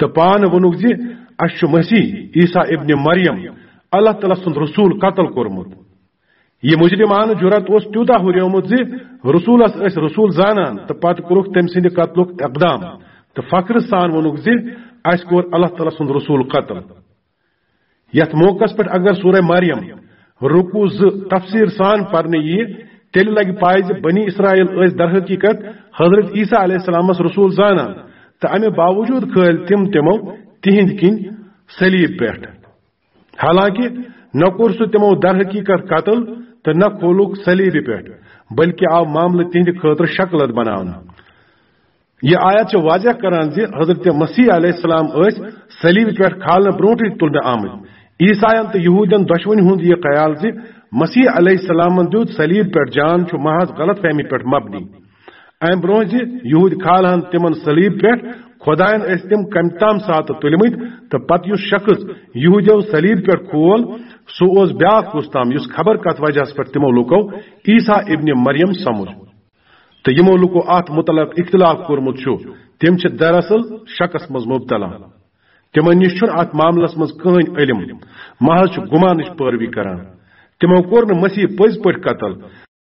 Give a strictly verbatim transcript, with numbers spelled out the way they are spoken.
تہٕ پانہٕ ووٚنُکھ زِ اسہِ چھُ مسیح عیسیٰ ابن مریم اللہ تعالیٰ سُنٛد رسول قتل کوٚرمُت۔ یہِ مجرمانہٕ جرأت اوس تیوٗتاہ ہُریومُت زِ رسولس ٲسۍ رسول زانان تہٕ پتہٕ کوٚرُکھ تٔمۍ سٕنٛدِ قتلُک اقدام تہٕ فخرٕ سان ووٚنُکھ زِ اسہِ کوٚر اللہ تعالیٰ سُنٛد رسول قتل۔ یتھ موقعس پٮ۪ٹھ اگر سورہ مریم رکوع زٕ تفصیل سان پرنہٕ ییہِ، تیٚلہِ لگہِ پاے زِ بنی اسرائیل ٲسۍ در حقیقت حضرت عیسیٰ علیہ السلامس رسول زانان تہٕ امہِ باوجود کھٲلۍ تِم تِمو تِہنٛدِ کِنۍ صلیب پٮ۪ٹھ۔ حالانکہ نہ کوٚر سُہ تِمو در حقیقت قتل تہٕ نہ کھولُکھ صلیبہِ پٮ۪ٹھ، بلکہ آو معاملہٕ تِہنٛدِ خٲطرٕ شکلت بناونہٕ۔ یہ آیت چھِ واضح کران زِ حضرت مسیح علیہ السلام ٲسۍ صلیب پٮ۪ٹھ کھالنہٕ برونٹھٕے تُلنہٕ آمٕتۍ۔ عیسائین تہٕ یہودین دۄشوٕنی ہُنٛد یہ خیال زِ مسیح علیہ السلامن دیُت صلیب پٮ۪ٹھ جان چھُ محض غلط فہمی پٮ۪ٹھ مبنی۔ امہِ برونٛہہ زِ یہودۍ کھالہن تِمن صلیب پٮ۪ٹھ، خداین ٲسۍ تِم کمہِ تام ساتہٕ تُلمٕتۍ تہٕ پتہٕ یُس شخص یہودیو صلیب پٮ۪ٹھ کھول، سُہ اوس بیاکھ کُس تام، یُس خبر کتھ وجہس پٮ۪ٹھ تِمو لوٗکو عیسیٰ ابن مریم سمجھ۔ تہٕ یِمو لوٗکو اتھ متعلق اختلاف کوٚرمُت چھُ، تِم چھِ دراصل شکس منٛز مبتلا۔ تِمن نِش چھُنہٕ اتھ معاملس منٛز کٕہٕنۍ علم، محض چھُ گُمانٕچ پٲروی کران۔ تِمو کوٚر نہٕ مسیح پٔزۍ پٲٹھۍ قتل،